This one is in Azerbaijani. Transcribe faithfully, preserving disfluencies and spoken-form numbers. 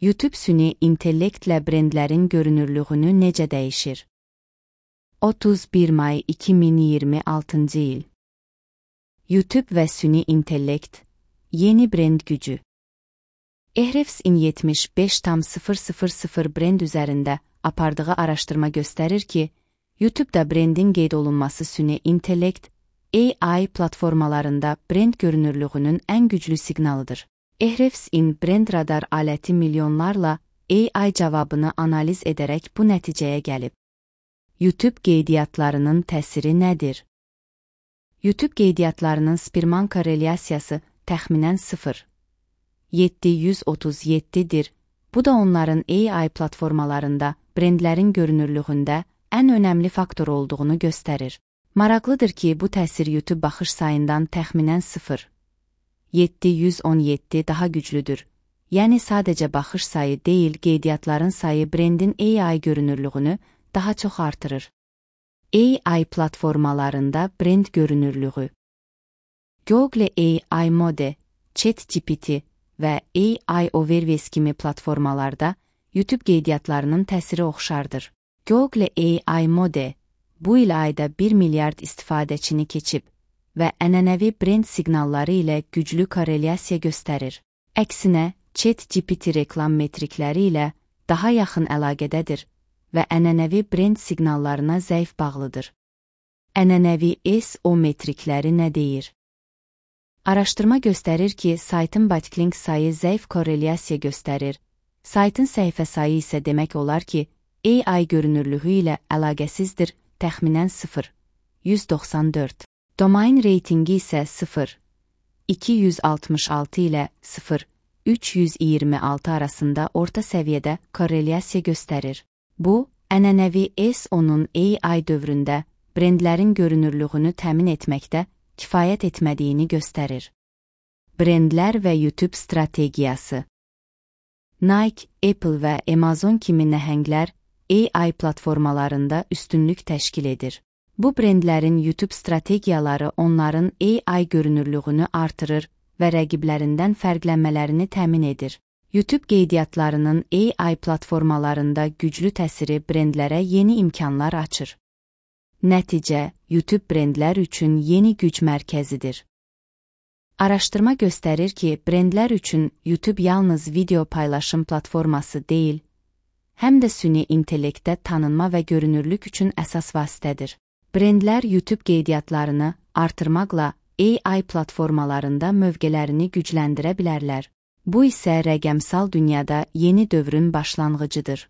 YouTube süni intellektlə brendlərin görünürlüyünü necə dəyişir? otuz bir may iki min iyirmi altıncı il. YouTube və süni intellekt, yeni brend gücü. Ahrefs-in yetmiş beş nöqtə sıfır sıfır sıfır brend üzərində apardığı araşdırma göstərir ki, YouTube'da brendin qeyd olunması süni intellekt, A I platformalarında brend görünürlüyünün ən güclü siqnalıdır. Ahrefs-in brend radar aləti milyonlarla A I cavabını analiz edərək bu nəticəyə gəlib. YouTube qeydiyyatlarının təsiri nədir? YouTube qeydiyyatlarının Spearman korrelyasiyası təxminən sıfır nöqtə yeddi yüz otuz yeddidir. Bu da onların A I platformalarında brendlərin görünürlüyündə ən önəmli faktor olduğunu göstərir. Maraqlıdır ki, bu təsir YouTube baxış sayından təxminən sıfır nöqtə yeddi yüz on yeddi daha güclüdür. Yəni sadəcə baxış sayı deyil, qeydiyyatların sayı brendin A I görünürlüyünü daha çox artırır. A I platformalarında brend görünürlüyü. Google A I Mode, ChatGPT və A I Overviews kimi platformalarda YouTube qeydiyyatlarının təsiri oxşardır. Google A I Mode bu il ayda bir milyard istifadəçini keçib və ənənəvi brend siqnalları ilə güclü korrelyasiya göstərir. Əksinə, ChatGPT reklam metrikləri ilə daha yaxın əlaqədədir və ənənəvi brend siqnallarına zəif bağlıdır. Ənənəvi S E O metrikləri nə deyir? Araşdırma göstərir ki, saytın backlink sayı zəif korrelyasiya göstərir. Saytın səhifə sayı isə demək olar ki, A I görünürlüyü ilə əlaqəsizdir, təxminən sıfır nöqtə yüz doxsan dörd. Domain reytingi isə sıfır nöqtə iki yüz altmış altı ilə sıfır nöqtə üç yüz iyirmi altı arasında orta səviyyədə korrelyasiya göstərir. Bu, ənənəvi S E O-nun A I dövründə brendlərin görünürlüyünü təmin etməkdə kifayət etmədiyini göstərir. Brendlər və YouTube strategiyası. Nike, Apple və Amazon kimi nəhənglər A I platformalarında üstünlük təşkil edir. Bu brendlərin YouTube strategiyaları onların A I görünürlüyünü artırır və rəqiblərindən fərqlənmələrini təmin edir. YouTube qeydiyyatlarının A I platformalarında güclü təsiri brendlərə yeni imkanlar açır. Nəticə, YouTube brendlər üçün yeni güc mərkəzidir. Araşdırma göstərir ki, brendlər üçün YouTube yalnız video paylaşım platforması deyil, həm də süni intellektdə tanınma və görünürlük üçün əsas vasitədir. Brendlər YouTube qeydiyyatlarını artırmaqla A I platformalarında mövqelərini gücləndirə bilərlər. Bu isə rəqəmsal dünyada yeni dövrün başlanğıcıdır.